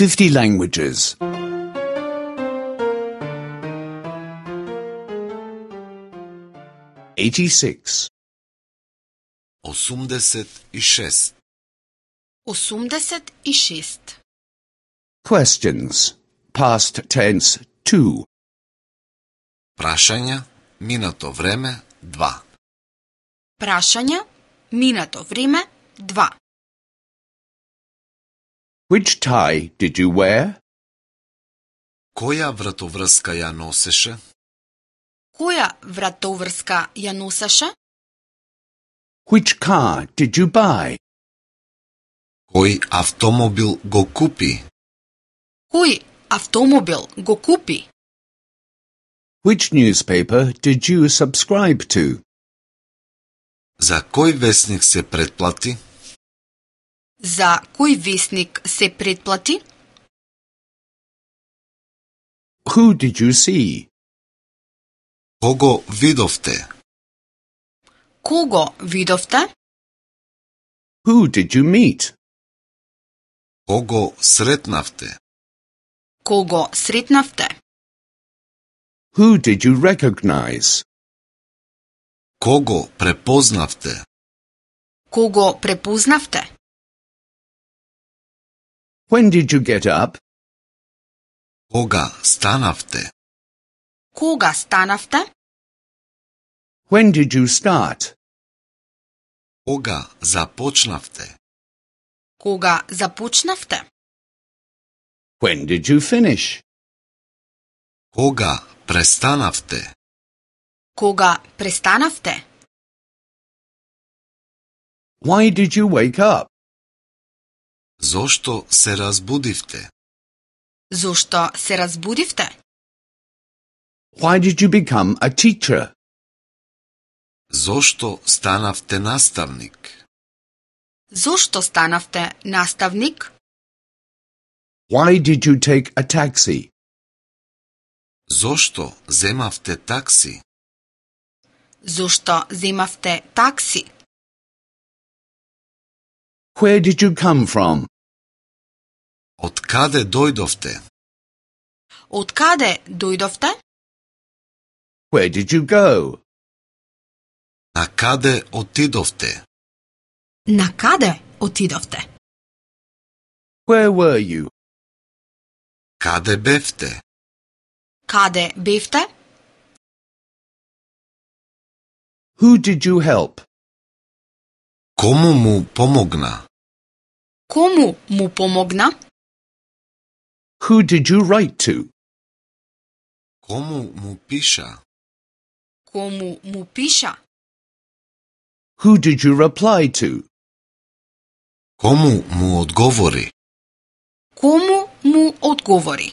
50 languages. 86. 86. 86. Questions. Past tense 2. Прашања, минато време 2. Прашања, минато време 2. Which tie did you wear? Која вратоврска ја носеше? Која вратоврска ја носеше? Which car did you buy? Кој автомобил го купи? Кој автомобил го купи? Which newspaper did you subscribe to? За кој весник се претплати? За кој весник се претплати? Who did you see? Кого видовте? Кого видовте? Who did you meet? Кого сретнавте? Кого сретнавте? Who did you recognize? Кого препознавте? Кого препознавте? When did you get up? Кога станавте? Кога станавте? When did you start? Кога започнавте? Кога започнавте? When did you finish? Кога престанавте? Кога престанавте? Why did you wake up? Зошто се разбудивте? Зошто се разбудивте? Why did you become a teacher? Зошто станавте наставник? Зошто станавте наставник? Why did you take a taxi? Зошто земавте такси? Зошто земавте такси? Where did you come from? Од каде дојдовте? Од каде дојдовте? Where did you go? На каде отидовте? На каде отидовте? Where were you? Каде бевте? Каде бевте? Who did you help? Кому му помогна? Кому му помогна? Who did you write to? Кому му пиша? Кому му пиша? Who did you reply to? Кому му одговори? Кому му одговори?